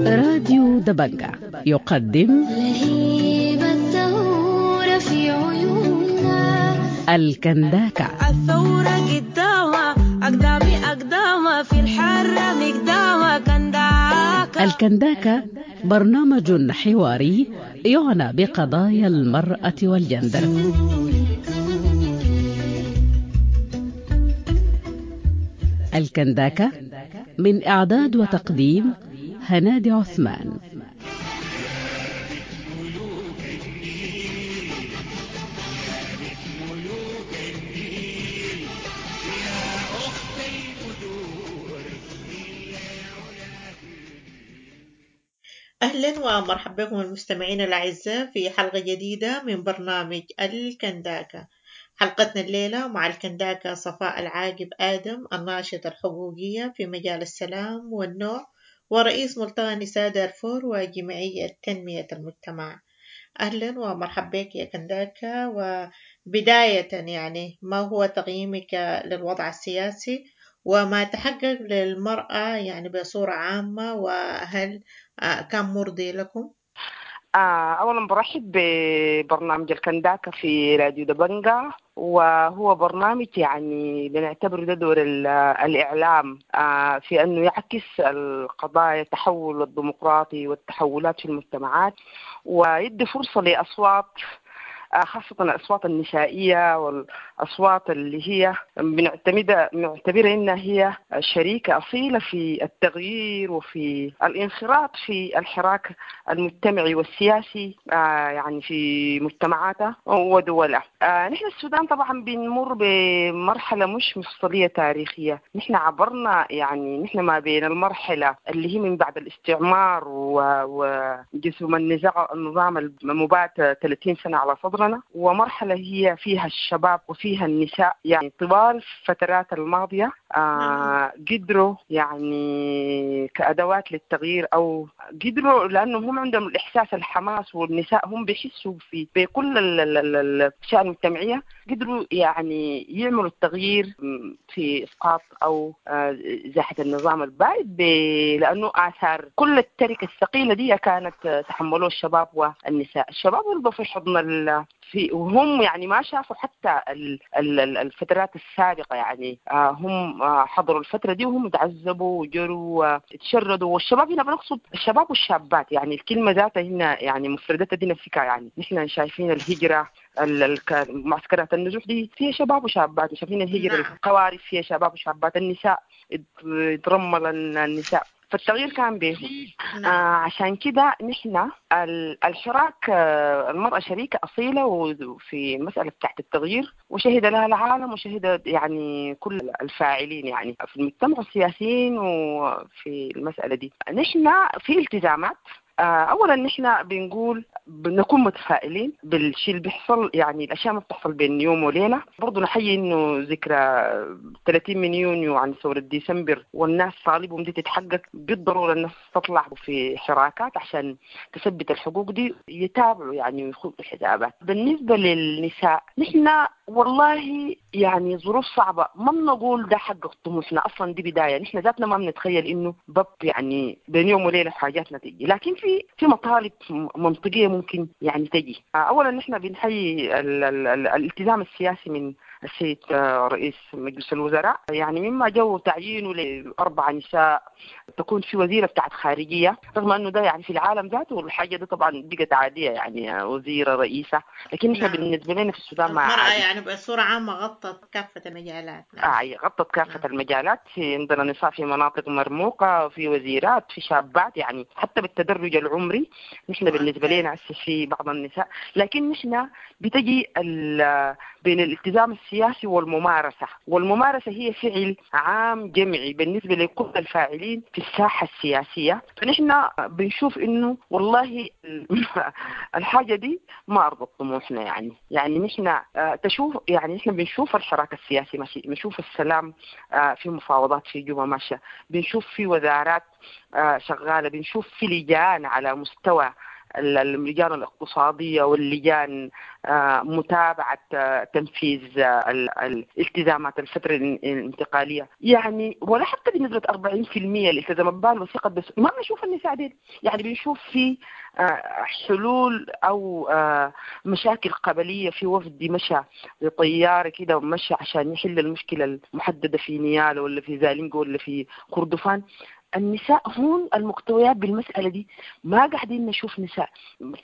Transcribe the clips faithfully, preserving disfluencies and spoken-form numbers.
راديو دبنجة يقدم لهيب الثورة في عيوننا الكنداكة. الثورة قدامها أقدامي أقدامها في الحرة مقدامها كنداكة. الكنداكة برنامج حواري يعنى بقضايا المرأة والجندر. الكنداكة من إعداد وتقديم هنادي عثمان. أهلا ومرحبا بكم المستمعين الأعزاء في حلقة جديدة من برنامج الكنداكة. حلقتنا الليلة مع الكنداكة صفاء العاقب آدم، الناشطة الحقوقية في مجال السلام والنوع ورئيس ملتقى نساء دارفور وجمعية تنمية المجتمع. أهلا ومرحبا بك يا كنداكة. وبداية يعني ما هو تقييمك للوضع السياسي وما تحقق للمرأة يعني بصورة عامة، وهل كان مرضي لكم؟ آه، أولا برحب ببرنامج الكنداكة في راديو دبنجة، وهو برنامج يعني بنعتبره ده دور الإعلام آه، في أنه يعكس القضايا التحول الديمقراطي والتحولات في المجتمعات، ويدي فرصة لأصوات خاصة الأصوات النسائية والأصوات اللي هي بنعتمدها بنعتبرها إنها هي شريكة أصيلة في التغيير وفي الانخراط في الحراك المجتمعي والسياسي يعني في مجتمعاتها ودولها. نحن السودان طبعا بنمر بمرحلة مش مفصلية تاريخية، نحن عبرنا يعني نحن ما بين المرحلة اللي هي من بعد الاستعمار وجسم النزاع النظام المبات ثلاثين سنة على صدر، ومرحلة هي فيها الشباب وفيها النساء. يعني طوال الفترات الماضية آه قدروا يعني كأدوات للتغيير، أو قدروا لأنهم هم عندهم الإحساس الحماس، والنساء هم بيحسوا في بكل الأشياء المجتمعية، قدروا يعني يعملوا التغيير في إسقاط أو آه إزاحة النظام البائد، لأنه آثار كل التركة الثقيلة دي كانت تحملوه الشباب والنساء. الشباب ولدوا في حضن ال في وهم يعني ما شافوا حتى الفترات السابقة، يعني هم حضروا الفترة دي وهم تعذبوا وجروا وتشردوا. والشباب هنا بنقصد الشباب والشابات، يعني الكلمة ذاتها هنا يعني مفردتها دي نفسها، يعني نحن شايفين الهجرة معسكرات النزوح دي فيها شباب وشابات، شايفين الهجرة القوارب فيها شباب وشابات، النساء ترمل النساء، فالتغيير كان بهم. آه عشان كده نحن الحراك آه المرأة شريكة أصيلة وفي مسألة تحت التغيير، وشهد لها العالم وشهد يعني كل الفاعلين يعني في المجتمع السياسيين وفي المسألة دي. نحن في التزامات. اولا نحن بنقول بنكون متفائلين بالشيء اللي بيحصل، يعني الاشياء ما بتحصل بين يوم وليله. برضه نحيي انه ذكرى ثلاثين من يونيو عن ثوره ديسمبر والناس طالبهم دي تتحقق، بالضروره الناس تطلع في حراكات عشان تثبت الحقوق دي، يتابعوا يعني ويخوضوا الحسابات. بالنسبه للنساء نحن والله يعني ظروف صعبه، ما بنقول ده حقق طموحنا اصلا، دي بدايه، نحن ذاتنا ما بنتخيل انه بب يعني بين يوم وليله حاجاتنا تيجي، لكن في في مطالب منطقيه ممكن يعني تجي. اولا نحن بنحيي ال ال ال الالتزام السياسي من السيد رئيس مجلس الوزراء، يعني مما جو تعيينه لاربع نساء تكون في وزيره بتاعت خارجيه، رغم انه ده يعني في العالم ذاته الحاجه دي طبعا بقت عاديه، يعني وزيره رئيسه، لكن نحن بالنسبه لنا في السودان ما عادي. يعني بصوره عامه غطت كافه المجالات. نعم. آه غطت كافه نعم. المجالات، في عندنا نساء في مناطق مرموقه، في وزيرات، في شابات، يعني حتى بالتدرج العمري نحن بالنسبه لنا في بعض النساء، لكن نحن بتجي بين الالتزام السياسي والممارسة، والممارسة هي فعل عام جمعي بالنسبة لكل الفاعلين في الساحة السياسية. فنحن بنشوف إنه والله الحاجة دي ما أرضت طموحنا، يعني يعني نحن تشوف يعني نحن بنشوف الحراك السياسي ماشي، بنشوف السلام في مفاوضات في جوبا ماشية، بنشوف في وزارات شغالة، بنشوف في لجان على مستوى اللجان الاقتصادية واللجان متابعة تنفيذ الالتزامات الفترة الانتقالية، يعني ولا حتى بنسبة أربعين في المية الالتزامات بالوثيقة، بس ما بنشوف النساء دي. يعني بنشوف في حلول أو مشاكل قبلية، في وفد مشى بطيارة كده ومشى عشان يحل المشكلة المحددة في نيالا ولا في زالينجو ولا في كردفان. النساء هون المقتويات بالمسألة دي ما قاعدين نشوف نساء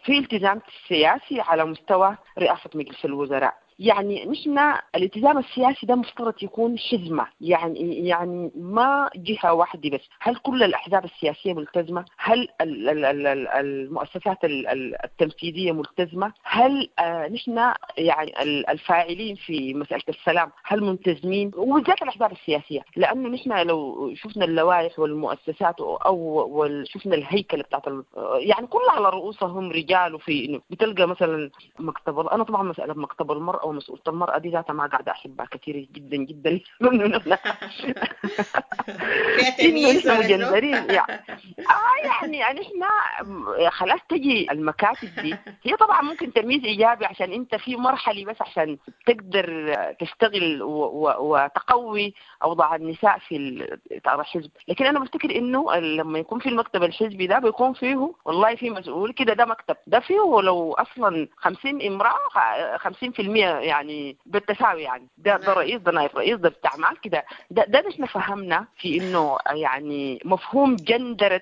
في التزام سياسي على مستوى رئاسة مجلس الوزراء. يعني نحن الالتزام السياسي ده مفترض يكون حزمة، يعني يعني ما جهة واحدة بس. هل كل الأحزاب السياسية ملتزمة؟ هل المؤسسات التنفيذية ملتزمة؟ هل نحن يعني الفاعلين في مسألة السلام هل ملتزمين؟ وبالذات الأحزاب السياسية، لأنه نحن لو شفنا اللوائح والمؤسسات أو شفنا الهيكل بتاعت يعني كلها على رؤوسهم رجال، وفي بتلقى مثلا مكتب، أنا طبعا مسألة مكتب المرأة ومسؤولة المرأة دي ذاتها ما قاعدة أحبها كثير جدا جدا. إنه نحن مجندرين يعني. آه يعني يعني إحنا خلاص تجي المكاتب دي هي طبعا ممكن تمييز إيجابي عشان أنت في مرحلة بس عشان تقدر تشتغل وتقوي أوضاع النساء في الحزب، لكن أنا بفتكر إنه لما يكون في المكتب الحزبي ده بيكون فيه والله في مسؤول كده، ده مكتب ده فيه لو أصلا خمسين امرأة خمسين في المية يعني بالتساوي، يعني ده ده رئيس ده نائب رئيس ده بتاع معاه كده. ده ده نحن فهمنا في انه يعني مفهوم جندرة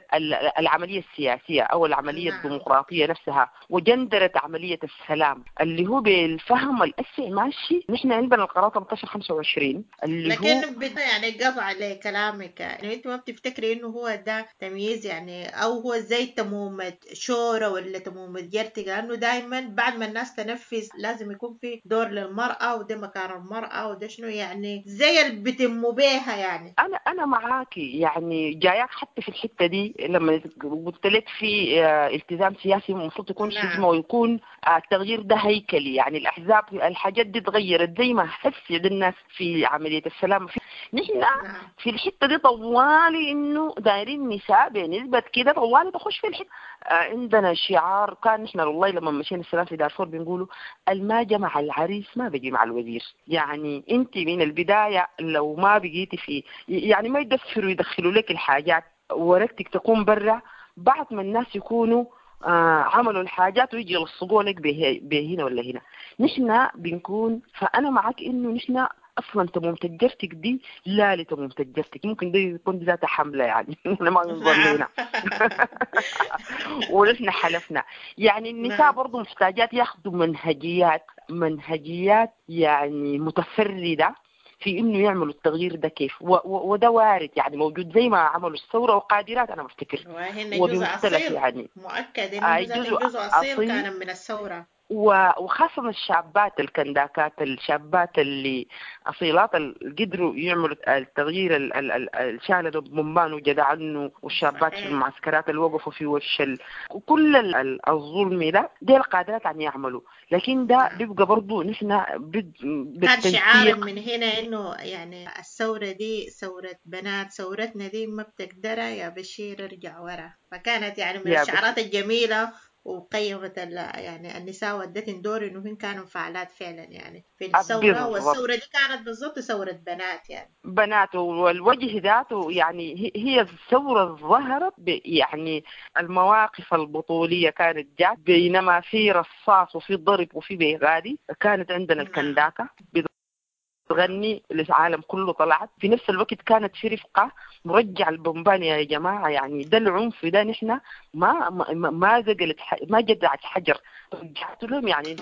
العملية السياسية او العملية الديمقراطية نفسها، وجندرة عملية السلام اللي هو بالفهم الأسع ماشي. نحن عندنا القرار ثلاثة عشر خمسة وعشرين اللي لكن هو لكن يعني قطع لكلامك، يعني انت ما بتفتكري انه هو ده تمييز يعني، او هو زي تمومة شورى ولا تمومة جرتقة؟ لانه دائما بعد ما الناس تنفذ لازم يكون في دور للمرأة، وده مكان المرأة، وده شنو يعني زي اللي بتموا بيها يعني. أنا أنا معاكي يعني، جاياك حتى في الحتة دي لما قلت لك في التزام سياسي المفروض يكون حزمة ويكون التغيير ده هيكلي، يعني الأحزاب الحاجات دي تغيرت زي ما حس الناس في عملية السلام. في نحن في الحتة دي طوالي إنه دايرين نساء بنسبة كده طوالي تخش في الحتة. عندنا شعار كان نحن والله لما مشينا السلام في دارفور بنقوله الما جمع العريس ما بيجي مع الوزير. يعني انت من البداية لو ما بقيتي في يعني ما يدفروا يدخلوا لك الحاجات ورقتك تكون برا، بعد ما الناس يكونوا آه عملوا الحاجات ويجي يلصقوا لك بهنا ولا هنا. نحن بنكون، فأنا معك إنه نحن اصلا تمومة الجرتك دي لا لتمومة الجرتك، ممكن ده يكون ذات حملة يعني احنا ما ننظر لنا ونحن حلفنا. يعني النساء برضو محتاجات ياخذوا منهجيات منهجيات يعني متفردة في انه يعملوا التغيير ده كيف، وده وارد يعني موجود زي ما عملوا الثورة وقادرات انا بفتكر، وبمختلف يعني مؤكد انه جزء اصيل كان من الثورة، وخاصة الشابات الكنداكات، الشابات اللي أصيلات اللي قدروا يعملوا التغيير الشالوا بومبان وجدعنه، والشابات في المعسكرات اللي وقفوا في وش كل الظلم ده دي القادرات عن يعملوا. لكن ده بيبقى برضو نحن كان شعار من هنا إنه يعني الثورة دي ثورة بنات، ثورتنا دي ما بتقدرها يا بشير ارجع ورا، فكانت يعني من الشعارات الجميلة وقيمت يعني النساء ودتن دور انه هن كانوا فعالات فعلا يعني في الثورة، والثورة دي كانت بالضبط ثورة بنات يعني بنات، والوجه ذاته يعني هي الثورة ظهرت يعني المواقف البطوليه كانت جات، بينما في رصاص وفي ضرب وفي بيغادي كانت عندنا الكنداكه تغني للعالم كله طلعت. في نفس الوقت كانت في رفقة مرجع البومبان يا جماعة، يعني ده العنف ده نحن ما ما ما زقلت ما جدعت حجر رجعت لهم يعني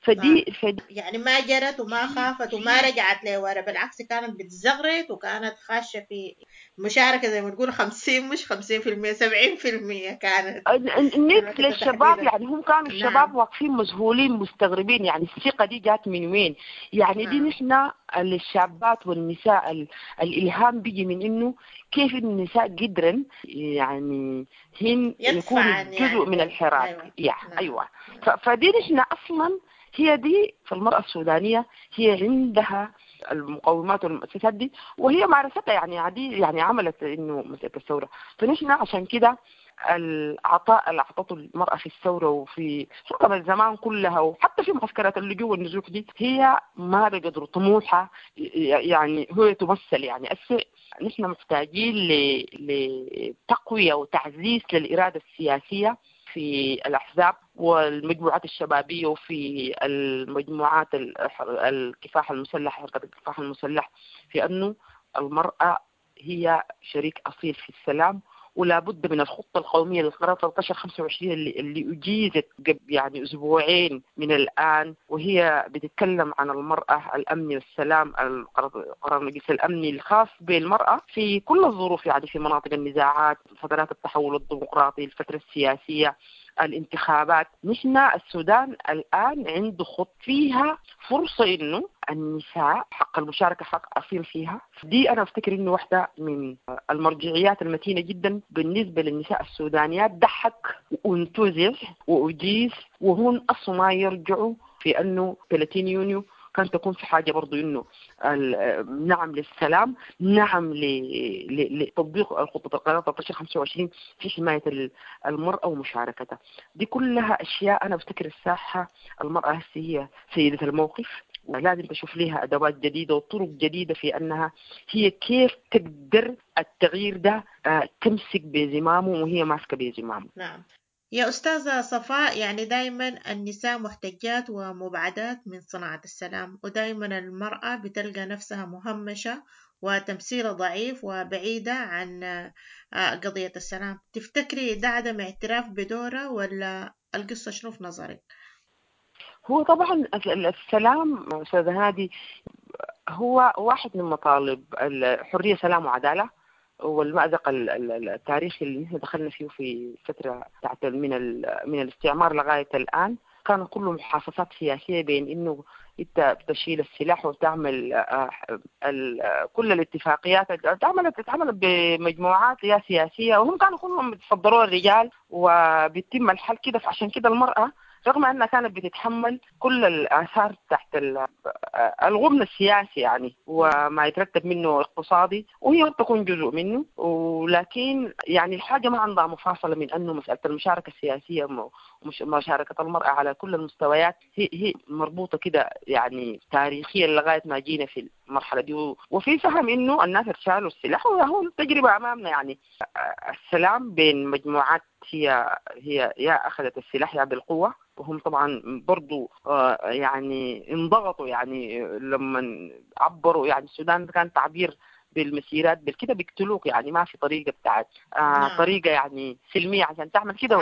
فدي, فدي يعني ما جرت وما خافت وما رجعت لورا، بالعكس كانت بتزغرت وكانت خاشة في مشاركة زي ما تقول خمسين مش خمسين في المية سبعين في المية كانت النت للشباب. يعني هم كانوا الشباب واقفين مذهولين مستغربين، يعني الثقة دي جات من وين؟ يعني دي نحن للشابات والنساء ال... الإلهام بيجي من إنه كيف النساء قدرن يعني هن يكونوا جزء يعني من الحراك. أيوة. يا نعم. أيوة. ف... فدي نحن أصلا هي دي في المرأة السودانية هي عندها المقومات والمؤسسات دي، وهي مارستها يعني عادي، يعني عملت انه مسألة الثورة. فنحن عشان كده العطاء اللي اعطته المرأة في الثورة وفي حكم الزمان كلها وحتى في معسكرات اللجوء والنزوح دي، هي ما بقدر طموحها يعني هو تمثل. يعني هسه نحن محتاجين لتقوية وتعزيز للإرادة السياسية في الأحزاب والمجموعات الشبابية وفي المجموعات الكفاح المسلح، حركة الكفاح المسلح، في أنه المرأة هي شريك أصيل في السلام، ولا بد من الخطة القومية للقرار ثلاثة عشر خمسة وعشرين اللي, اللي أجيزت قبل يعني أسبوعين من الآن، وهي بتتكلم عن المرأة، الأمن والسلام، القرار المجلس الأمني الخاص بالمرأة في كل الظروف، يعني في مناطق النزاعات، فترات التحول الديمقراطي، الفترة السياسية، الانتخابات. نحن السودان الآن عنده خط فيها فرصة إنه النساء حق المشاركة حق أصيل فيها. دي أنا أفتكر إنه واحدة من المرجعيات المتينة جدا بالنسبة للنساء السودانيات. ضحك وانتزع وأجيز، وهون أصلا ما يرجعوا في أنه ثلاثين يونيو كان تكون في حاجة برضو إنه نعم للسلام، نعم لتطبيق الخطة القرار ثلاثة عشر خمسة وعشرين في حماية المرأة ومشاركتها. دي كلها أشياء أنا بفتكر الساحة المرأة هسه هي سيدة الموقف، ولازم تشوف لها أدوات جديدة وطرق جديدة في أنها هي كيف تقدر التغيير ده تمسك بزمامه وهي ماسكة بزمامه. نعم يا أستاذة صفاء، يعني دايما النساء محتجات ومبعدات من صناعة السلام، ودايما المرأة بتلقى نفسها مهمشة وتمثيلها ضعيف وبعيدة عن قضية السلام. تفتكري ده عدم اعتراف بدورها ولا القصة شنو في نظرك؟ هو طبعا السلام أستاذة هادي هو واحد من مطالب الحرية، سلام وعدالة، والمأزق التاريخي اللي نحن دخلنا فيه في فترة بتاعت من من الاستعمار لغاية الآن، كان كله محاصصات سياسية بين إنه أنت بتشيل السلاح وتعمل كل الاتفاقيات اتعملت اتعملت بمجموعات يا سياسية، وهم كانوا كلهم بيتصدروا الرجال وبيتم الحل كده. فعشان كده المرأة رغم أنها كانت بتتحمل كل الآثار تحت الغمن السياسي يعني وما يترتب منه اقتصادي، وهي تكون جزء منه، ولكن يعني الحاجة ما عندها مفاصلة من أنه مسألة المشاركة السياسية ومشاركة المرأة على كل المستويات هي هي مربوطة كده يعني تاريخيا لغاية ما جينا في المرحلة دي. وفي فهم إنه الناس شالوا السلاح، وهو التجربة أمامنا يعني السلام بين مجموعات هي هي يا أخذت السلاح يا بالقوة، وهم طبعا برضو يعني انضغطوا يعني لما عبروا، يعني السودان كان تعبير بالمسيرات بالكده بيقتلوك، يعني ما في طريقة بتاعت آه نعم. طريقة يعني سلمية عشان تعمل كده.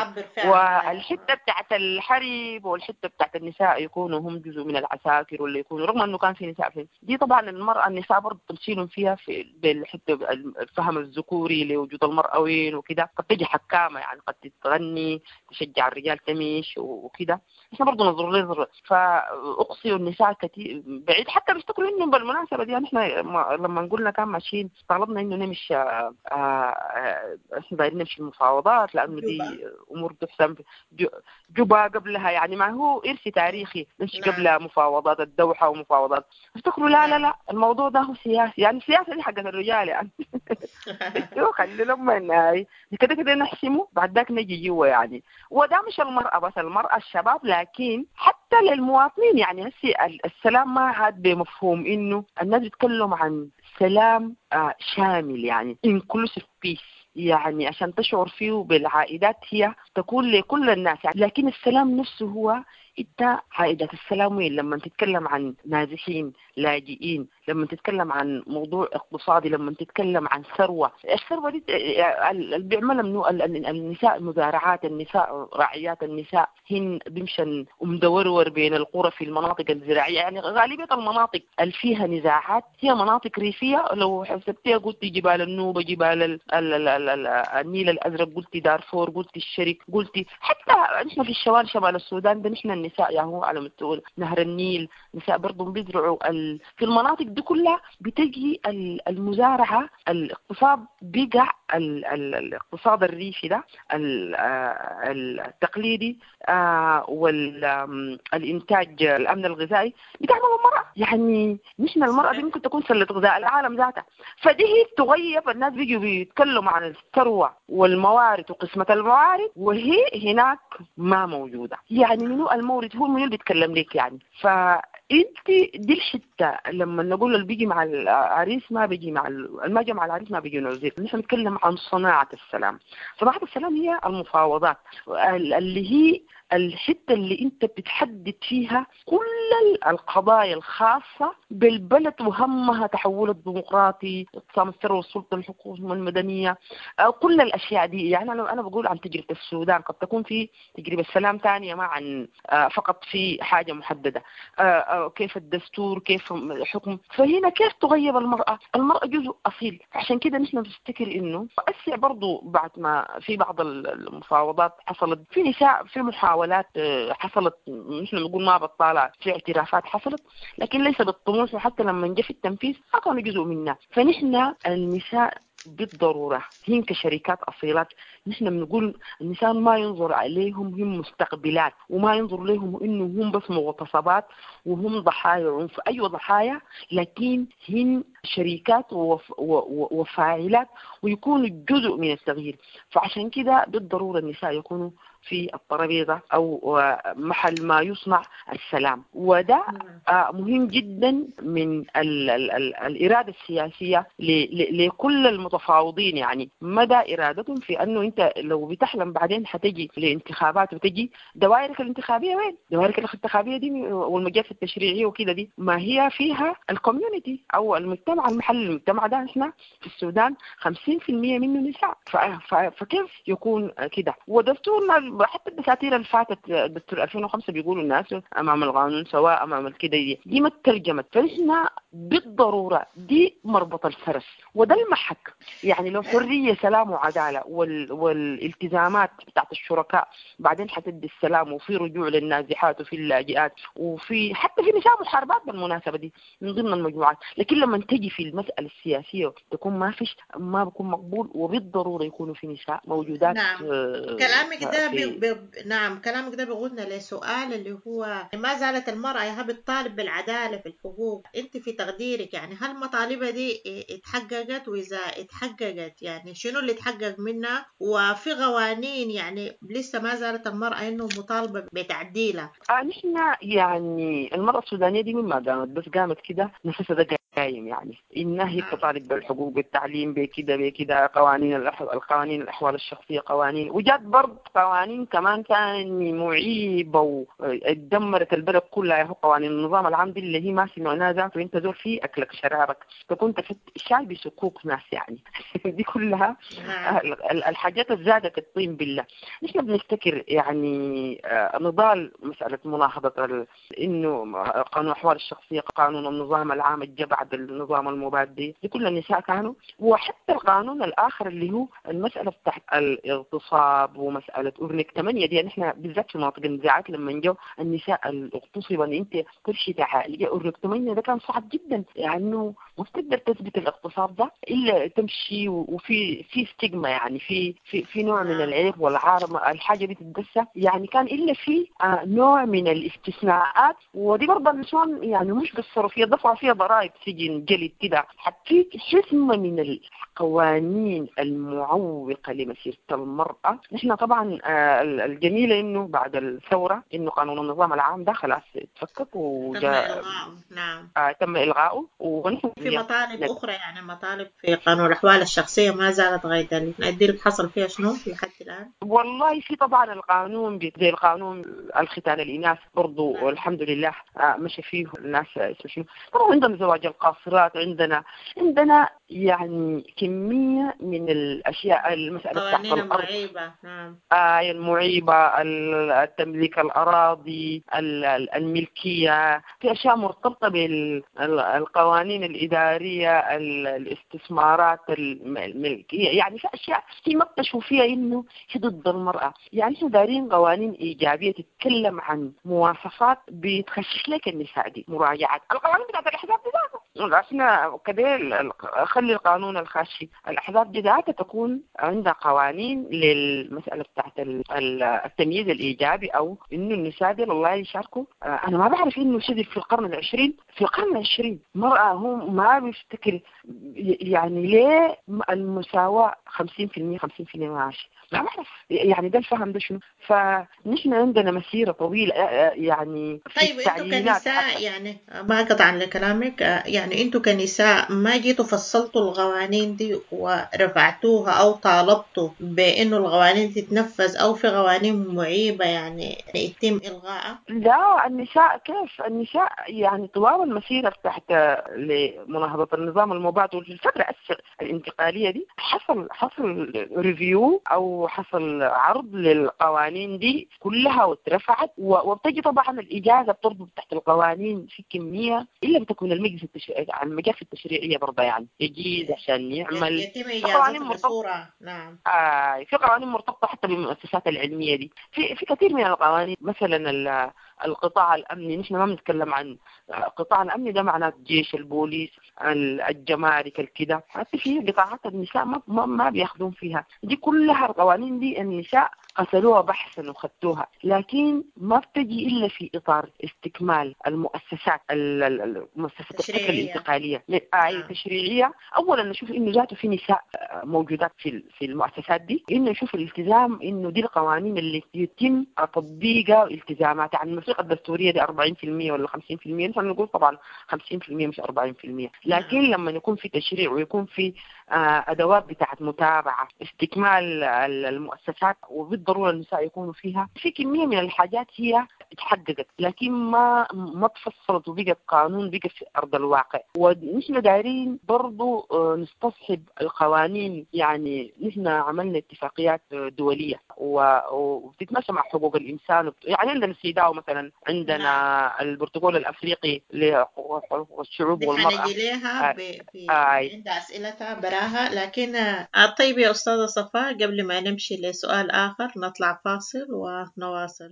والحتة بتاعت الحرب والحتة بتاعت النساء يكونوا هم جزء من العساكر ولا يكونوا، رغم انه كان في نساء في دي طبعا المرأة النساء برضو تمثيلهم فيها في بالحتة الفهم الذكوري لوجود المرأة وين وكده، قد تجي حكامة يعني قد تغني تشجع الرجال تميش وكده، احنا برضو نظر لنظر. فأقصي النساء كثير بعيد، حتى بيفتكروا انه بالمناسبة دي يعني احنا لما قلنا كان ماشيين طلبنا انه نمشي احنا دايرين نمشي المفاوضات لانه دي امور تحسم جوبا قبلها، يعني ما هو ارث تاريخي نمشي قبلها مفاوضات الدوحة ومفاوضات، افتكروا لا لا لا الموضوع ده هو سياسي، يعني السياسة دي حقت الرجال يعني خلي لما كده كده نحسمه بعد ذاك نجي جوا يعني. وده مش المرأة بس، المرأة الشباب، لكن حتى للمواطنين يعني هسي السلام ما عاد بمفهوم انه الناس بيتكلموا عن سلام آه شامل، يعني inclusive peace، يعني عشان تشعر فيه بالعائدات هي تكون لكل الناس يعني. لكن السلام نفسه هو انت عائدات السلام وين؟ لما تتكلم عن نازحين لاجئين، لما تتكلم عن موضوع اقتصادي، لما تتكلم عن ثروة، الثروة دي اللي بيعملها منو؟ النساء المزارعات، النساء راعيات، النساء هن بيمشن ومدورور بين القرى في المناطق الزراعية، يعني غالبية المناطق اللي فيها نزاعات هي مناطق ريفية. لو حسبتيها قلت جبال النوبة، جبال ال ال ال ال ال النيل الأزرق، قلت دارفور، قلت الشرق، قلت حتى نحن في الشمال شمال السودان ده نحن النساء يعني هو على مستوى نهر النيل نساء برضو بيزرعوا ال... في المناطق دي كلها بتجي المزارعة، الاقتصاد بقع الاقتصاد الريفي ده التقليدي والإنتاج الأمن الغذائي بتعمل المرأة. يعني نحن المرأة دي ممكن تكون سلة غذاء العالم ذاتها، فدي هي تغيب. الناس بيجوا بيتكلموا عن الثروة والموارد وقسمة الموارد وهي هناك ما موجودة. يعني منو المورد هو منو اللي بيتكلم لك يعني. ف انت دي الحتة لما نقول اللي بيجي مع العريس ما بيجي مع ما جا مع العريس ما بيجي نعزل. نحن نتكلم عن صناعة السلام. صناعة السلام هي المفاوضات اللي هي الحتة اللي انت بتحدد فيها كل القضايا الخاصة بالبلد وهمها تحول الديمقراطي، اقسام الثروة والسلطة، الحقوق المدنية، كل الاشياء دي. يعني انا انا بقول عن تجربه السودان، قد تكون في تجربه سلام ثانية ما عن فقط في حاجة محددة، كيف الدستور، كيف الحكم. فهنا كيف تغيب المراة؟ المراة جزء اصيل. عشان كده نحن بنفتكر انه اسع برضو بعد ما في بعض المفاوضات حصلت في نساء، في محاولات حصلت، نحن نقول ما بطالة، في اعترافات حصلت، لكن ليس بالطموح، وحتى لما نجي في التنفيذ ما كانوا جزء منا. فنحن النساء بالضرورة هن كشركات أصيلات، نحن بنقول النساء ما ينظر عليهم هم مستقبلات، وما ينظر لهم إنه هم بس مغتصبات وهم ضحايا عنف. أيوة ضحايا، لكن هن شريكات وف وفاعلات ويكونوا جزء من التغيير. فعشان كده بالضرورة النساء يكونوا في الترابيزة أو محل ما يصنع السلام، وده مهم جدا من ال ال ال الإرادة السياسية لكل المتفاوضين. يعني مدى إرادتهم في أنه أنت لو بتحلم بعدين حتجي لانتخابات وتجي دوائرك الانتخابية، وين دوائرك الانتخابية دي والمجالس التشريعية وكده، دي ما هي فيها ال community أو المجتمع المحلي. المجتمع ده احنا في السودان خمسين في المية منه نساء، فكيف يكون كده؟ ودستورنا حتى الدساتير اللي فاتت دستور ألفين وخمسة بيقولوا الناس امام القانون سواء امام الكده، دي, دي ما ترجمت. فنحن بالضرورة دي مربط الفرس وده المحك. يعني لو حرية سلام وعداله وال... والالتزامات بتاعت الشركاء بعدين حتدي السلام، وفي رجوع للنازحات وفي اللاجئات وفي حتى في نساء محاربات بالمناسبة دي من ضمن المجموعات، لكن لما تجي في المسالة السياسية تكون ما فيش، ما بكون مقبول، وبالضروره يكونوا في نساء موجودات. نعم. كلامك ده بي... بي... نعم كلامك ده بيقودنا لسؤال اللي هو ما زالت المرأة يا بتطالب بالعدالة في الحقوق، انت في تقديرك يعني هل مطالبها دي اتحققت؟ وإذا اتحققت يعني شنو اللي اتحقق منها؟ وفي قوانين يعني لسه ما زالت المرأة انه مطالبة بتعديلها؟ آه نحن يعني المرأة السودانية دي مما قامت بس قامت كده نفسها ده قايم، يعني إنها هي تطالب بالحقوق بالتعليم بكده بكده، قوانين القوانين الأحوال الشخصية، قوانين، وجات برضه قوانين كمان ثاني معيبة ودمرت البلد كلها، هو قوانين النظام العام دي اللي هي ما سمعناها ذاته، انت زول فيه أكلك شرابك تكون شاي بسكوك ناس يعني دي كلها الحاجات اللي زادت الطين بالله. نحن بنفتكر يعني نضال مسألة مناهضة إنه قانون الأحوال الشخصية، قانون النظام العام الجا بعد النظام المبادئ، دي كل النساء كانوا، وحتى القانون الآخر اللي هو المسألة بتاعت الاغتصاب ومسألة أورنيك ثمانية دي، نحن بالذات في مناطق النزاعات لما جو النساء الاغتصب ان انت تمشي تعالج أورنيك ثمانية ده كان صعب جدا، لأنه يعني ما بتقدر تثبت الاغتصاب ده إلا تمشي، وفي في ستيغما يعني في في في نوع من العيب والعار، الحاجة دي تتدسى يعني، كان إلا في نوع من الاستثناءات، ودي برضه النسوان يعني مش قصروا فيها، دفعوا فيها ضرائب سجن جلد كده، حتى حزمة من القوانين المعوقة لمسيرة المرأة. نحن طبعا الجميلة إنه بعد الثورة إنه قانون النظام العام ده خلاص اتفكك وجاء نعم آه تم إلغائه، ونحن في مطالب أخرى يعني مطالب في قانون الأحوال الشخصية ما زالت غاية ذلك، حصل فيها شنو لحد الآن؟ والله في طبعا القانون زي القانون الختان الإناث برضو والحمد لله مشى فيه الناس اسمه شنو. طبعا عندنا زواج القاصرات، عندنا عندنا يعني كمية من الأشياء، المسألة بتاعت قوانين الأرض المعيبة. نعم. آه المعيبة، التمليك الأراضي، الملكية، في أشياء مرتبطة بالقوانين الإدارية، الاستثمارات الملكية، يعني في أشياء في ما بتشوف فيها إنه هي ضد المرأة. يعني إحنا دارين قوانين إيجابية تتكلم عن مواصفات بتخشش لك النساء دي، مراجعات القوانين بتاعت الأحزاب دي ذاتها. إحنا كده خلي القانون الخاشي الأحزاب دي ذاتها تكون عندها قوانين للمسألة بتاعت التمييز الإيجابي، أو إنه النساء دي والله يشاركوا. أنا ما بعرف إنه شذي في القرن العشرين، في القرن العشرين مرأة هو ما بيفتكر يعني ليه المساواة خمسين في المية خمسين في المية ماشي، ما بعرف يعني ده الفهم ده شنو. فنحن عندنا مسيرة طويلة يعني في طيب انتوا التعيينات كنساء حتى. يعني ما قطعا لكلامك، يعني انتوا كنساء ما جيتوا فصلتوا القوانين دي ورفعتوها او طالبتوا بانه القوانين تتنفذ، او في قوانين معيبة يعني يتم الغائها؟ لا، النساء كيف النساء يعني طوال المسيرة تحت لمناهضة النظام المباد وفي الفترة الانتقالية دي حصل حصل review او حصل عرض للقوانين دي كلها واترفعت، وبتجي طبعا الاجازة بتربط تحت القوانين في كمية الا بتكون المجلس التشريعي المجالس التشريعية برضه يعني يجيز عشان يعمل يتم قوانين اجازتها مرتبطة. بصورة. نعم. آه في قوانين مرتبطة حتى بالمؤسسات العلمية دي، في في كثير من القوانين. مثلا القطاع الامني، نحن ما بنتكلم عن القطاع الامني ده معناه الجيش، البوليس، الجمارك، الكده، حتى في قطاعات النساء ما ما, ما بياخذون فيها. دي كلها القوانين دي النساء قتلوها بحثا وخدتوها، لكن ما بتجي الا في اطار استكمال المؤسسات المؤسسات الفكرة الانتقالية آه التشريعية. اولا نشوف انه ذاته في نساء موجودات في في المؤسسات دي، انه نشوف الالتزام انه دي القوانين اللي يتم تطبيقها والتزاماتها. يعني الموثيقة الدستورية دي أربعين بالمية ولا خمسين بالمية، نحن نقول طبعا خمسين بالمية مش أربعين بالمية، لكن لما يكون في تشريع ويكون في ادوات بتاعت متابعه استكمال المؤسسات، وبالضروره النساء يكونوا فيها، في كمية من الحاجات هي اتحققت لكن ما ما تفصلت وبقت قانون، بقت في ارض الواقع. ونحن دايرين برضو نستصحب القوانين، يعني نحن عملنا اتفاقيات دولية وبتتماشى مع حقوق الانسان، يعني عندنا السيداو مثلا، عندنا البروتوكول الافريقي لحقوق الشعوب والمراة. حنجي لها ب... ب... عند اسئلتها براها. لكن طيب يا استاذه صفاء، قبل ما نمشي لسؤال اخر نطلع فاصل ونواصل.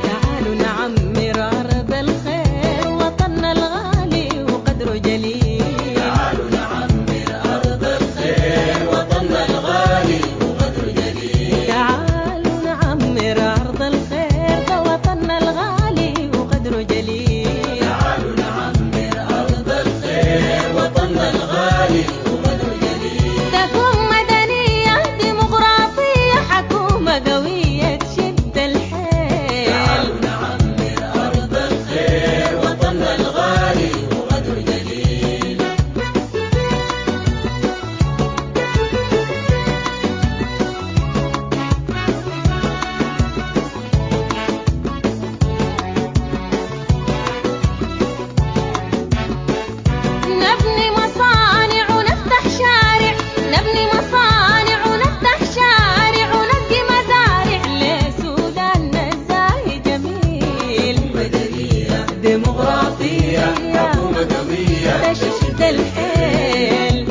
تعالوا نعمر أرض الخير، وطننا الغالي وقدره جليل. تعالوا نعمر أرض الخير، وطننا الغالي وقدره جليل. تعالوا نعمر أرض الخير، ده وطننا الغالي وقدره جليل. تعالوا نعمر أرض الخير، وطننا الغالي وقدره جليل. تكون مدنية ديمقراطية، حكومة قوية تشد الحيل. تعالوا نعمر أرض الخير، وطننا الغالي وقدره جليل. نبني مصانع ونفتح شارع، نبني مصانع ونفتح شارع، ونسقي مزارع لسوداننا الزاهي جميل. مدنية ديمقراطية، حكومة قوية تشد الحيل.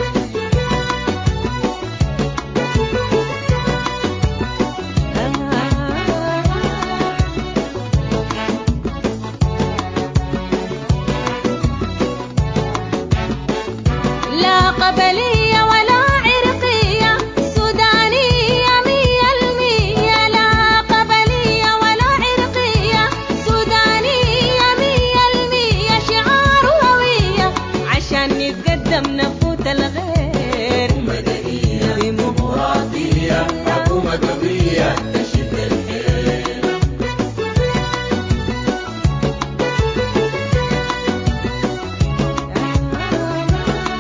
لا قبلية ولا عرقية، سودانية مية المية. لا قبلية ولا عرقية، سودانية مية المية. شعار هوية عشان نتقدم نفوت الغير. مدنية ديمقراطية، حكومة قوية تشد الحيل. آه.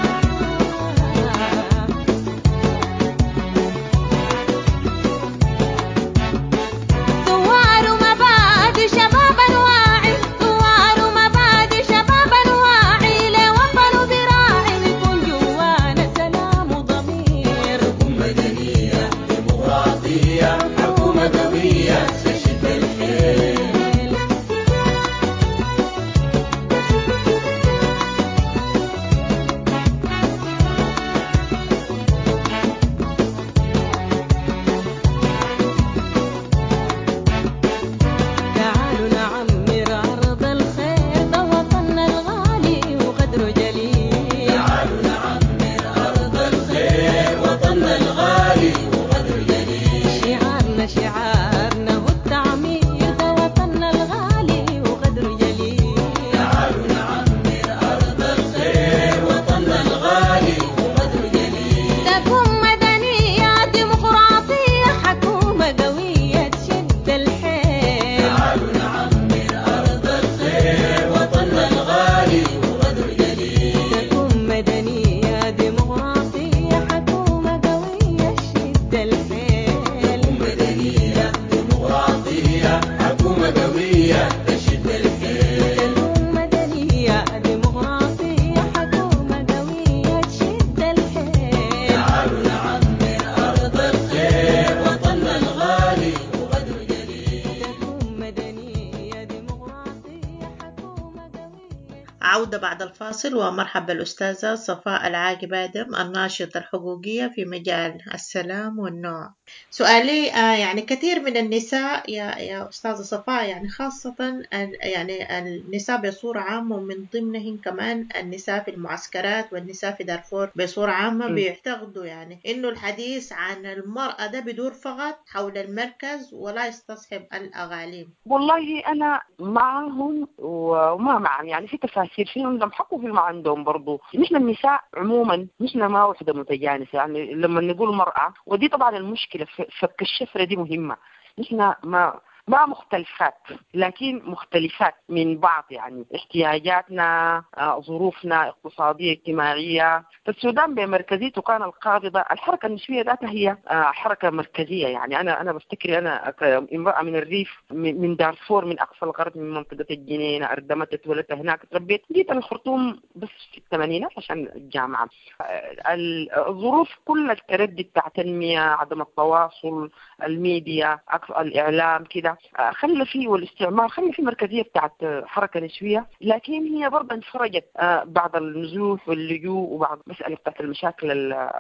عودة بعد الفاصل، ومرحبا بالأستاذة صفاء العاقب آدم الناشطة الحقوقية في مجال السلام والنوع. سؤالي آه، يعني كثير من النساء يا يا أستاذة صفاء، يعني خاصة ال- يعني النساء بصورة عامة، ومن ضمنهن كمان النساء في المعسكرات والنساء في دارفور بصورة عامة، م. بيعتقدوا يعني إنه الحديث عن المرأة ده بيدور فقط حول المركز ولا يستصحب الأغاليم. والله أنا معهم وما معهم، يعني في تفاسير، في عندهم حق وفي ما عندهم برضو. نحن النساء عموما نحن ما وحدة متجانسة، يعني لما نقول مرأة، ودي طبعا المشكلة، ف-، فك الشفرة دي مهمة. نحن ما، ما مختلفات لكن مختلفات من بعض، يعني احتياجاتنا، آه، ظروفنا اقتصادية اجتماعية. فالسودان بمركزيته كان القابضة، الحركة النسوية ذاتها هي، آه، حركة مركزية. يعني أنا، أنا بفتكر أنا كامرأة من الريف، من، من دارفور، من أقصى الغرب، من منطقة الجنينة، أردمت، اتولدت هناك، تربيت، جيت الخرطوم بس في الثمانينات عشان الجامعة. آه، ال-، الظروف كلها التردي بتاع تنمية، عدم التواصل، الميديا، أقصى الإعلام كده، آه، خلى فيه، والاستعمار خلى فيه مركزية بتاعت حركة نسوية، لكن هي برضه انفرجت، آه، بعد النزوح واللجوء وبعد مسألة بتاعت المشاكل ال-،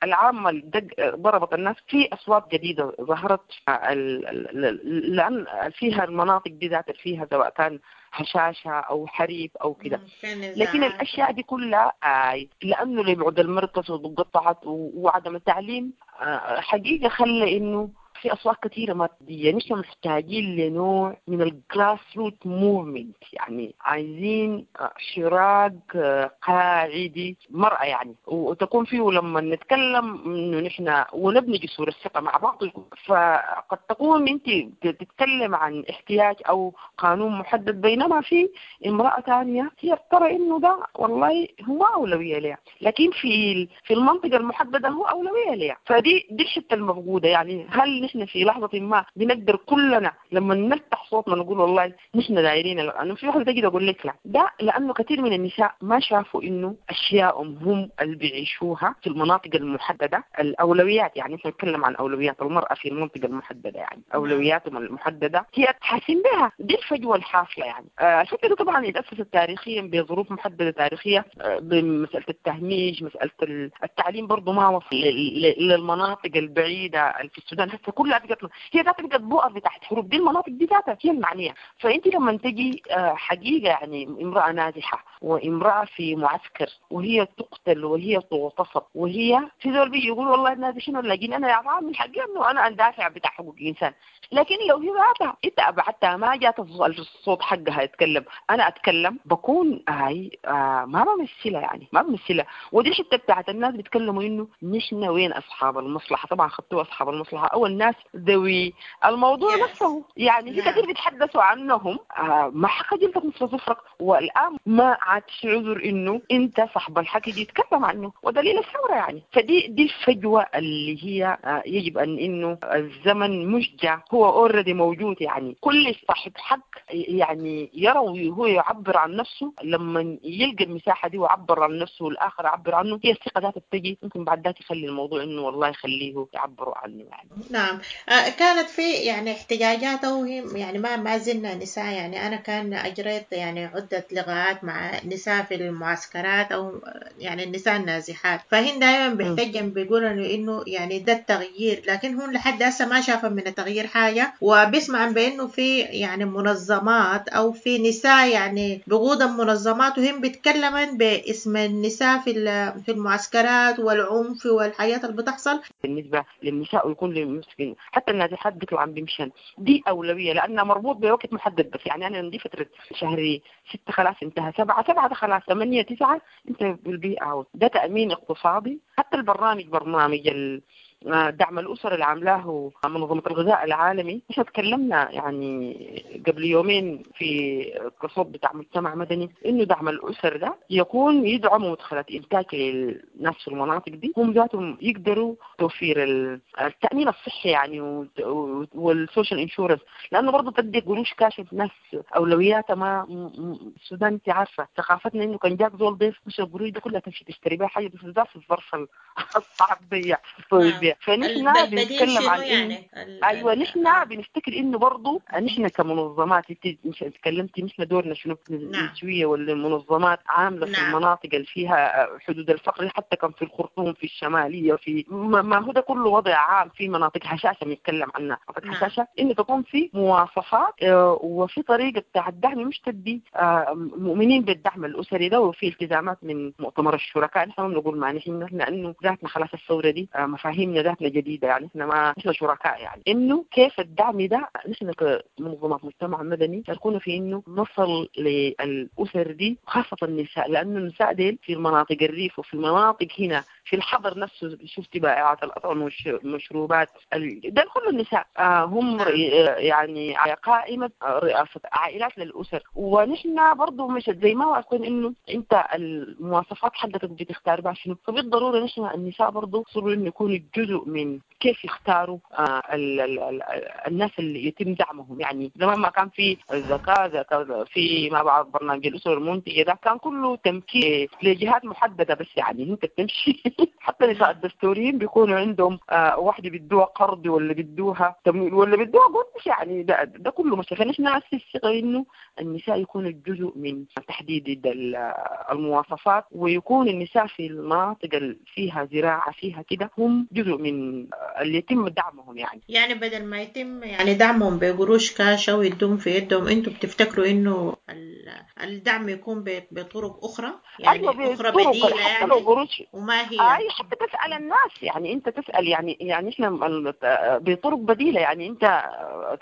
العامة اللي دق-، آه، ضربت الناس. في أصوات جديدة ظهرت، آه، ال-، ال-، ال-، لأن فيها المناطق دي ذات فيها سواء كان هشاشة أو حريب أو كده. مم، في نزاعات. لكن الأشياء دي كلها، آه، لأنه لبعد المركز وقطعت و-، وعدم التعليم، آه، حقيقة خلى إنه في أصوات كثيرة مادية. نحن محتاجين لنوع من ال grassroot movement، يعني عايزين حراك قاعدي مرأة، يعني وتكون فيه لما نتكلم إنه نحن ونبني جسور الثقة مع بعض. فقد تكون أنت تتكلم عن احتياج أو قانون محدد، بينما في امرأة ثانية هي ترى إنه ده والله هو أولوية لها، لكن في ال-، في المنطقة المحددة هو أولوية لها. فدي دي الحتة المفقودة. يعني هل نحن في لحظة ما بنقدر كلنا لما نفتح صوتنا نقول والله نحن دايرين ال-، أنا في واحدة تجي تقول لك لا، ده لأنه كثير من النساء ما شافوا إنه أشياءهم هم اللي بيعيشوها في المناطق المحددة، الأولويات. يعني نحن نتكلم عن أولويات المرأة في المنطقة المحددة، يعني أولوياتهم المحددة هي تحاسن بها. دي الفجوة الحاصلة. يعني آه، الفكرة دي طبعا اتأسست تاريخيا بظروف محددة تاريخية، آه، بمسألة التهميش، مسألة ال-، التعليم برضو ما وصل ل-، ل-، للمناطق البعيدة اللي في السودان. هسه كلها بقت هي ذاتها بقت بؤر بتاعت حروب، دي المناطق دي ذاتها هي المعنية. فأنت لما تجي، آه، حقيقة يعني امرأة نازحة وامرأة في معسكر وهي تقتل وهي تغتصب وهي في زول بيجي يقول والله النازحين ولا لاجئين، أنا يا عم من حقي إنه أنا أندافع بتاع حقوق الإنسان. لكن لو هي ذاتها أنت أبعدتها ما جات الصوت حقها يتكلم، أنا أتكلم بكون هاي، آه، ما بمثلها، يعني ما بمثلها. ودي الحتة بتاعت الناس بيتكلموا إنه نحن وين أصحاب المصلحة. طبعا خدتوا أصحاب المصلحة أو الناس ذوي الموضوع Yes. نفسه، يعني في نعم. كثير بيتحدثوا عنهم، آه، ما حق جلدك مثل ظفرك. والآن ما عاد في عذر إنه أنت صاحب الحق يجي يتكلم عنه، ودليل الثورة يعني. فدي دي الفجوة اللي هي، آه، يجب أن إنه الزمن مش جا، هو already موجود. يعني كل صاحب حق يعني يرى وهو يعبر عن نفسه، لما يلقى المساحة دي ويعبر عن نفسه والآخر يعبر عنه، هي الثقة ذاتها بتجي. ممكن بعد ذاك يخلي الموضوع إنه والله يخليه يعبروا عنه يعني. نعم. آه، كانت في يعني احتجاجات أو هي يعني ما، ما زلنا نساء. يعني أنا كان أجريت يعني عدة لقاءات مع نساء في المعسكرات أو يعني النساء النازحات، فهن دائما مم. بيحتجن بيقولوا إنه، إنه يعني ده التغيير، لكن هون لحد هسه ما شافوا من التغيير حاجة. وبيسمع بأنه في يعني منظمات أو في نساء يعني بقود المنظمات وهم بيتكلمن باسم النساء في ال-، في المعسكرات والعنف والحياة اللي بتحصل. بالنسبة للنساء ويكون للمسكين حتى النازحات بيطلعوا عم بيمشن، دي أولوية لأنها مربوط بوقت محدد بس. يعني أنا عندي فترة شهر ستة خلاص انتهى، سبعة، سبعة ده خلاص، ثمانية، تسعة انت بالبيئة اوت. ده تأمين اقتصادي. حتى البرنامج برنامج ال-، آه، دعم الأسر اللي عاملاه منظمة الغذاء العالمي، احنا تكلمنا يعني قبل يومين في الصوت بتاع مجتمع مدني إنه دعم الأسر ده يكون يدعم مدخلات إنتاج للناس في المناطق دي، هم ذاتهم يقدروا توفير ال-، التأمين الصحي يعني وت-، وت-، وال social insurance، لأنه برضه تدي قروش كاش الناس أولوياتها ما م-، م-، السودان أنت عارفة ثقافتنا إنه كان جاك زول ضيف مش القروش دي كلها تمشي تشتري بها حاجة، بس بالذات في الظرف ال-، الصعب دي. نعم. الاسرية. فنحن البديل بنتكلم شنو عن إن يعني؟ ال- ايوه ال- نحن آه. بنفتكر انه برضه نحن كمنظمات، انت مش تكلمتي نحن دورنا شنو نعم. النسوية ولا المنظمات عامله في نعم. المناطق اللي فيها حدود الفقر، حتى كان في الخرطوم، في الشمالية، في ما ما هو ده كله وضع عام في مناطق هشاشة بنتكلم عنها، مناطق نعم. هشاشة انه تكون في مواصفات آه، وفي طريقه بتاع الدعم، مش تدي آه، مؤمنين بالدعم الاسري ده، وفي التزامات من مؤتمر الشركاء. نحن ما بنقول ما نحن نحن لانه ذاتنا خلاص الثورة دي آه، مفاهيمنا ذاتنا جديدة، يعني احنا ما نحن شركاء، يعني انه كيف الدعم ده نحن كمنظمات مجتمع مدني شاركونا في انه نصل للاسر دي، خاصة النساء، لانه النساء ديل في المناطق الريف وفي المناطق هنا في الحضر نفسه، شفتي بائعات الاطعمة والمشروبات ال- ده كله النساء آه، هم نعم. رئي- آه، يعني على قائمة آه، رئاسة عائلات للاسر. ونحن برضو مش زي ما واثقين انه انت المواصفات حقتك بتختار بها شنو، فبالضروره نحن النساء برضو صروا انه يكونوا جزء من كيف يختاروا آه، ال ال ال الناس اللي يتم دعمهم. يعني زمان ما كان في الزكاة، زكاة في ما بعرف برنامج الاسر المنتجة ده كان كله تمكين لجهات محددة بس، يعني انت بتمشي حتى نساء الدستوريين بيكونوا عندهم آه واحدة بيدوها قرض ولا بيدوها تمويل ولا بيدوها قرض، يعني ده, ده كله مش. فنحن نأسس الثقة انه النساء يكونوا جزء من تحديد ال- المواصفات، ويكون النساء في المناطق اللي فيها زراعة فيها كده هم جزء من اللي يتم دعمهم. يعني يعني بدل ما يتم يعني دعمهم بقروش كاش أو يدوم في يدهم، انتوا بتفتكروا انه ال- الدعم يكون ب- بطرق أخرى، يعني ايوه أخرى بطرق بديلة حتى لو يعني؟ قروش وما هي؟ اي حتى تسال الناس، يعني انت تسال يعني يعني احنا ال- بطرق بديله، يعني انت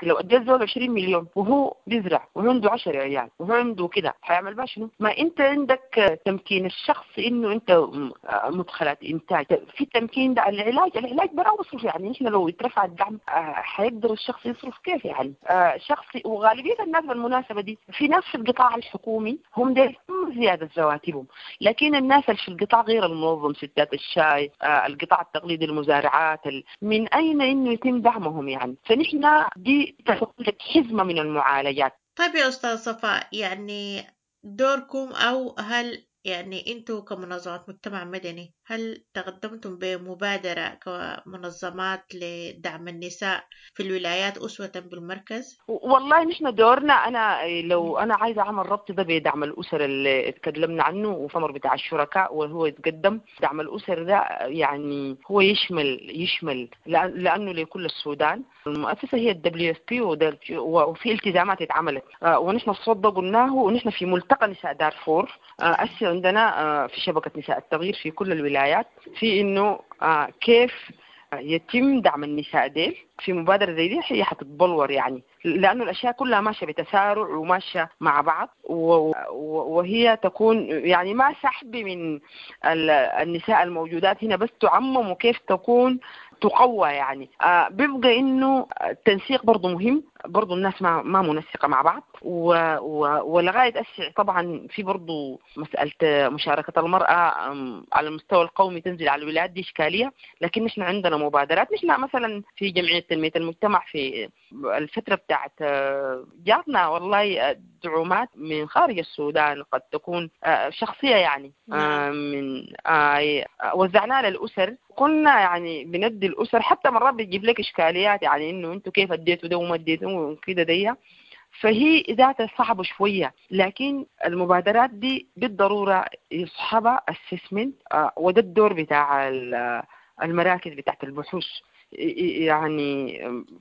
لو اديت زول عشرين مليون وهو بيزرع وهو عنده عشرة عيال وهو عنده كده، حيعمل بها شنو؟ ما انت عندك تمكين الشخص انه انت م- مدخلات انتاج في التمكين ده. العلاج العلاج برا بصرف، يعني احنا لو اترفع الدعم آه، حيقدر الشخص يصرف كيف يعني آه، شخص. وغالبية الناس بالمناسبة دي في ناس في القطاع الحكومي هم ديل زيادة رواتبهم، لكن الناس اللي في القطاع غير المنظم، ستات الشاي، آه، القطاع التقليدي، المزارعات، ال- من اين انه يتم دعمهم يعني؟ فنحن دي تكون لك حزمه من المعالجات. طيب يا أستاذ صفاء، يعني دوركم أو هل يعني أنتوا كمنظمات مجتمع مدني هل تقدمتم بمبادرة كمنظمات لدعم النساء في الولايات أسوة بالمركز؟ والله نحن دورنا، انا لو انا عايزه اعمل ربط ده بدعم الاسر اللي اتكلمنا عنه وثمر بتاع الشركاء وهو يتقدم دعم الاسر ده، يعني هو يشمل يشمل لأن- لانه لكل السودان. المؤسسة هي ال WFP، وفي التزامات اتعملت آه، ونحن الصوت ده قلناه، ونحن في ملتقى نساء دارفور آه، هسه عندنا آه، في شبكة نساء التغيير في كل الولايات في انه آه، كيف يتم دعم النساء ديل في مبادرة زي دي هي حتتبلور، يعني لأنه الأشياء كلها ماشية بتسارع وماشية مع بعض، و- و- وهي تكون يعني ما سحب من ال- النساء الموجودات هنا، بس تعمم وكيف تكون تقوى يعني. آه بيبقى إنه التنسيق برضو مهم، برضو الناس ما ما منسقة مع بعض، و و ولغاية أسع طبعا في برضو مسألة مشاركة المرأة أم، على المستوى القومي تنزل على الولايات دي إشكالية، لكن نحن عندنا مبادرات. نحن مثلا في جمعية تنمية المجتمع في الفترة بتاعت آه، جاتنا والله آه، دعومات من خارج السودان قد تكون آه، شخصية يعني آه، من آه، وزعناها للأسر. كنا يعني بندي الأسر، حتى مرات بتجيب لك إشكاليات يعني إنه أنتوا كيف اديتوا ده وما اديتوا وكده دي، فهي ذاتها صعبة شوية، لكن المبادرات دي بالضرورة يصحبها assessment، آه، وده الدور بتاع ال- المراكز بتاعت البحوث، يعني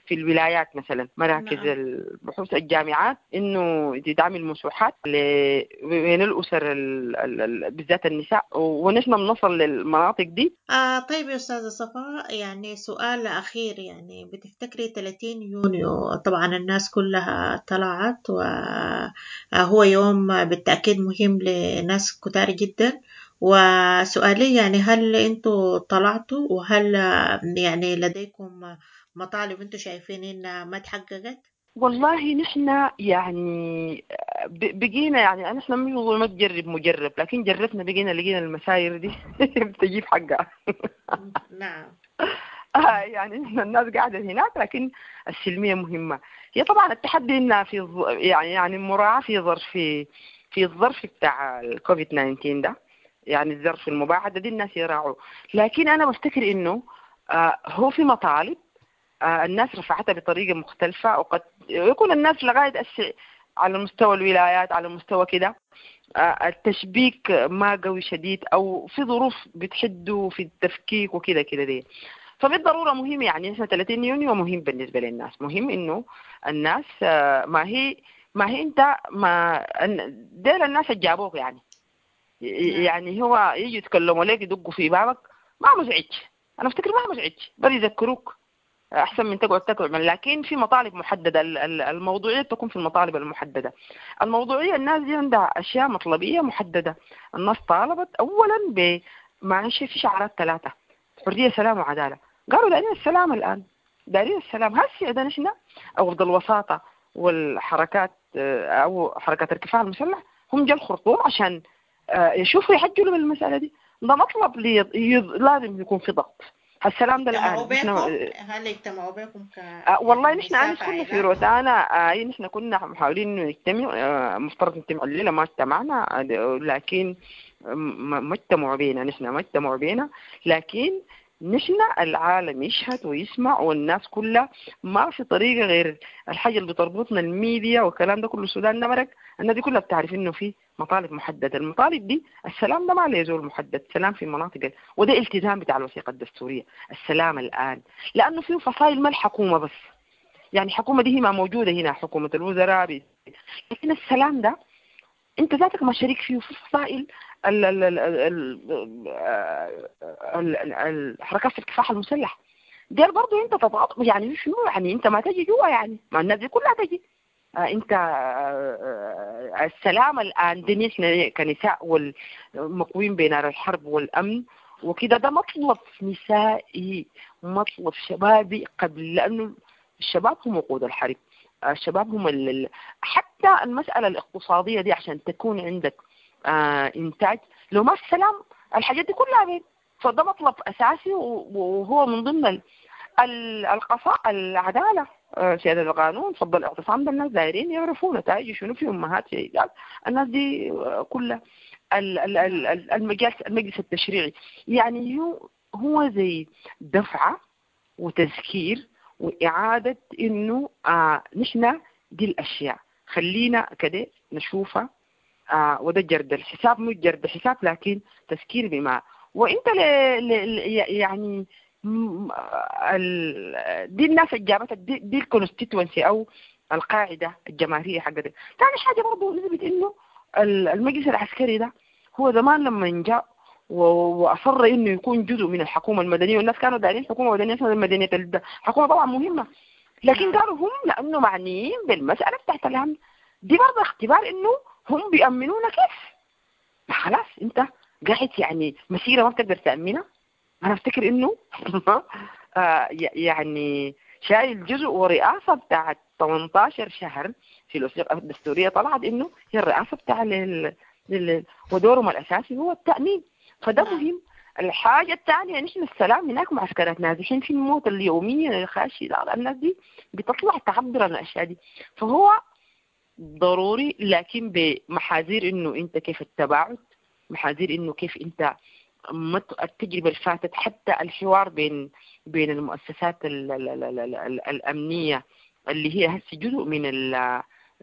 في الولايات مثلا مراكز نعم. البحوث الجامعات، انه تتعمل مسوحات ل- بين الاسر ال- ال- ال- بالذات النساء، ونحن بنصل للمناطق دي. آه طيب يا أستاذة صفاء، يعني سؤال أخير، يعني بتفتكري ثلاثين يونيو طبعا الناس كلها طلعت، وهو يوم بالتأكيد مهم لناس كتار جدا، وسؤالي يعني هل انتوا طلعتوا، وهل يعني لديكم مطالب انتوا شايفين انها ما تحققت؟ والله نحن يعني ب- بقينا يعني نحن مش بنقول ما تجرب مجرب، لكن جربنا بقينا لقينا المساير دي بتجيب حقها. نعم. آه يعني نحن الناس قاعدة هناك، لكن السلمية مهمة. هي طبعا التحدي انها في ظ- يعني يعني مراعاة في ظرف في الظرف بتاع الكوفيد تسعة عشر ده، يعني الظرف المباعدة دي الناس يراعوا. لكن انا بفتكر انه آه هو في مطالب آه الناس رفعتها بطريقة مختلفة، وقد يكون الناس لغاية أسع على مستوى الولايات، على مستوى كده آه التشبيك ما قوي شديد، أو في ظروف بتحدوا في التفكيك وكده كده دي. فبالضرورة مهم يعني احنا ثلاثين يونيو مهم بالنسبة للناس، مهم إنه الناس آه ما هي ما هي أنت ما ديل الناس اللي جابوك يعني يعني هو يجي يتكلموا لك يدقوا في بابك ما مزعج، أنا أفتكر ما مزعج، بل يذكروك أحسن من تقعد تقعد. لكن في مطالب محددة، الموضوعية تكون في المطالب المحددة. الموضوعية الناس دي عندها أشياء مطلبية محددة. الناس طالبت أولا بما في شعارات ثلاثة: حرية، سلام، وعدالة. قالوا دارين السلام الآن، دارين السلام. هسي عندنا نحن أو الوساطة والحركات أو حركات الكفاح المسلح هم جا الخرطوم عشان يشوفوا يحجلوا من المسألة دي. ده مطلب لي لازم يكون في ضغط. السلام ده الآن نحن هل اجتمعوا بكم ك آه والله نحن أمس كنا في روتانا، آه نحن كنا محاولين إنه نجتمع، آه مفترض نجتمع الليلة ما اجتمعنا، لكن ما اجتمعوا بينا، نحن ما اجتمعوا بينا، لكن نحن العالم يشهد ويسمع والناس كلها. ما في طريقة غير الحاجة اللي بتربطنا الميديا والكلام ده كله. السودان نمرك الناس دي كلها بتعرف إنه في مطالب محددة. المطالب دي السلام ده ما له زول محدد، سلام في مناطق، وده التزام بتاع الوثيقة الدستورية، السلام الآن، لأنه فيه فصائل ما الحكومة بس، يعني الحكومة دي هي ما موجودة هنا، حكومة الوزراء، لكن السلام ده انت ذاتك ما شريك فيه. في فصائل ال ال ال ال ال الحركات الكفاح المسلح ديل برضه انت تضغط، يعني شنو يعني انت ما تجي جوا، يعني ما الناس دي كلها تجي. آه انت آه السلام الان دي نحن كنساء والمقوين بين الحرب والامن وكده، ده مطلب نسائي، مطلب شبابي قبل، لانه الشباب هم وقود الحرب، الشباب هم ال... حتى المسألة الاقتصادية دي عشان تكون عندك آه إنتاج، لو ما في سلام الحاجات دي كلها بين. فده مطلب أساسي، وهو من ضمن القصاء، العدالة، آه سيادة القانون، فضل الاعتصام ده الناس دايرين يعرفوا نتائج شنو في أمهات شهيدات الناس دي كلها. المجلس المجلس التشريعي يعني هو هو زي دفعة وتذكير وإعادة إنه آه نحن دي الأشياء خلينا كده نشوفها، آه وده جرد الحساب، مش جرد حساب لكن تذكير بما وإنت ل... ل... يعني ال... دي الناس اللي جابتك دي, دي ال constituency أو القاعدة الجماهيرية حقتك. ثاني حاجة برضه نثبت إنه المجلس العسكري ده هو زمان لما جاء واصر انه يكون جزء من الحكومة المدنية، والناس كانوا دارين حكومة مدنية، المدنية الحكومة طبعا مهمة، لكن قالوا هم لانه معنيين بالمسالة بتاعت الامن دي برضه اختبار انه هم بيامنونا كيف. ما خلاص انت قاعد يعني مسيره ما بتقدر تامنها. انا افتكر انه يعني شايل جزء ورئاسه بتاعت ثمانية عشر شهر في الوثيقة الدستورية طلعت انه هي الرئاسة بتاع لل... لل... ودورهم الاساسي هو التامين، فده مهم. الحاجة الثانية نحن السلام هناك معسكرات نازحين في الموت اليومية الخاشي، الناس دي بتطلع تعبر عن الأشياء دي، فهو ضروري لكن بمحاذير إنه أنت كيف التباعد، محاذير إنه كيف أنت التجربة اللي فاتت، حتى الحوار بين بين المؤسسات ال ال ال ال ال الأمنية اللي هي هسه جزء من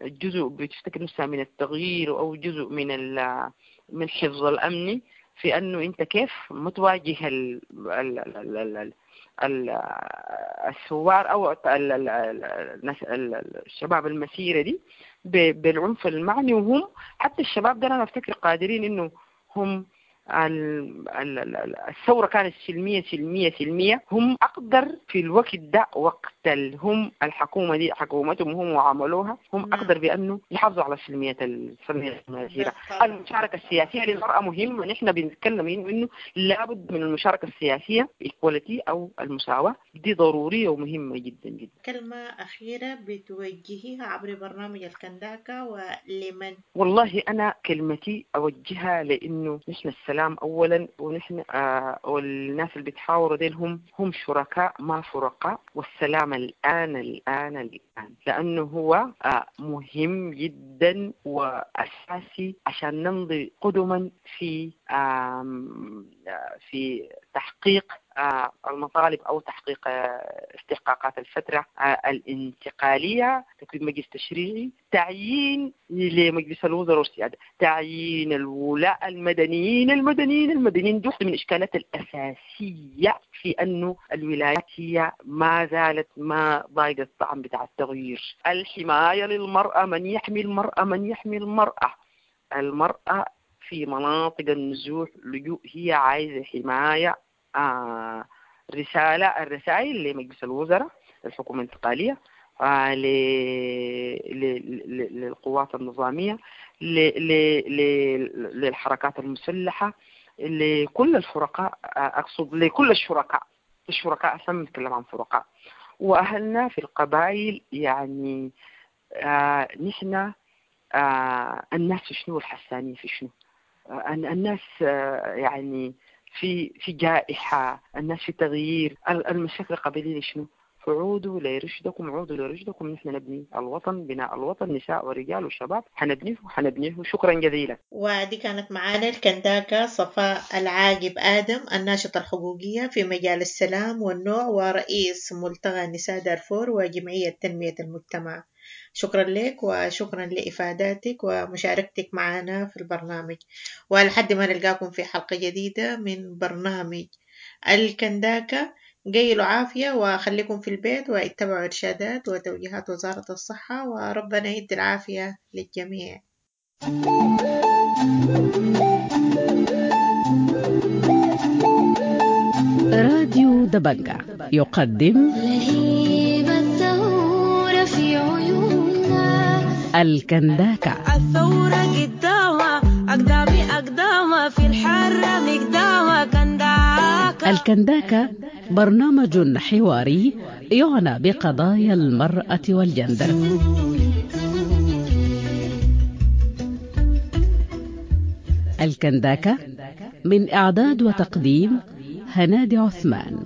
الجزء بتفتكر نفسها من التغيير أو جزء من من الحفظ الأمني، في انه انت كيف متواجه ال ال ال ال ال الثوار او ال ال ال الشباب المسيرة دي بالعنف المعني، وهم حتى الشباب ده انا افتكر قادرين انه هم الثورة كانت سلمية سلمية سلمية، هم أقدر في الوقت ده وقت هم الحكومة دي حكومتهم هم وعملوها، هم أقدر بأنه يحافظوا على سلمية السلمية المسيرة. المشاركة السياسية للمرأة مهمة، نحن بنتكلم إنه لابد من المشاركة السياسية equality أو المساواة دي ضرورية ومهمة جدا جدا. كلمة أخيرة بتوجهيها عبر برنامج الكنداكا ولمن؟ والله أنا كلمتي أوجهها لأنه نحن السلام أولا، ونحن آه والناس اللي بيتحاوروا ديل هم هم شركاء ما فرقاء، والسلام الآن الآن الآن لأنه هو آه مهم جدا وأساسي عشان نمضي قدما في آه في تحقيق آه، المطالب أو تحقيق آه، استحقاقات الفترة آه، الانتقالية، تكوين مجلس تشريعي، تعيين لمجلس الوزراء والسيادة، تعيين الولاء المدنيين المدنيين المدنيين. دي واحدة من الإشكالات الأساسية في أنه الولايات هي ما زالت ما ضايقة الطعم بتاع التغيير. الحماية للمرأة، من يحمي المرأة، من يحمي المرأة. المرأة في مناطق النزوح لجوء هي عايزة حماية. آه رسالة الرسائل لمجلس الوزراء، للحكومة الانتقالية، آه ل... ل... ل... للقوات النظامية، ل... ل... ل... للحركات المسلحة، لكل الفرقاء، آه، أقصد لكل الشركاء، الشركاء أصلا بنتكلم عن فرقاء وأهلنا في القبائل. يعني آه نحن آه الناس في شنو والحسانية في شنو؟ آه الناس آه يعني في في جائحة، الناس في تغيير، ال- المشاكل القبلية شنو؟ فعودوا لرشدكم، عودوا لرشدكم، نحن نبني الوطن، بناء الوطن نساء ورجال وشباب، حنبنيه حنبنيه. شكرا جزيلا. ودي كانت معانا الكنداكة صفاء العاقب آدم، الناشطة الحقوقية في مجال السلام والنوع ورئيس ملتقى نساء دارفور وجمعية تنمية المجتمع. شكرا لك وشكرا لإفاداتك ومشاركتك معنا في البرنامج، ولحد ما نلقاكم في حلقة جديدة من برنامج الكنداكة، قيلوا عافية وخليكم في البيت واتبعوا إرشادات وتوجيهات وزارة الصحة، وربنا يدي العافية للجميع. راديو دبنجة يقدم لهيب الثورة في عيوننا الكنداكة. الثورة قدامها أقدامي أقدامها في الحرة مقدامها كنداكة. الكنداكة برنامج حواري يعنى بقضايا المرأة والجندر. الكنداكة من إعداد وتقديم هنادي عثمان.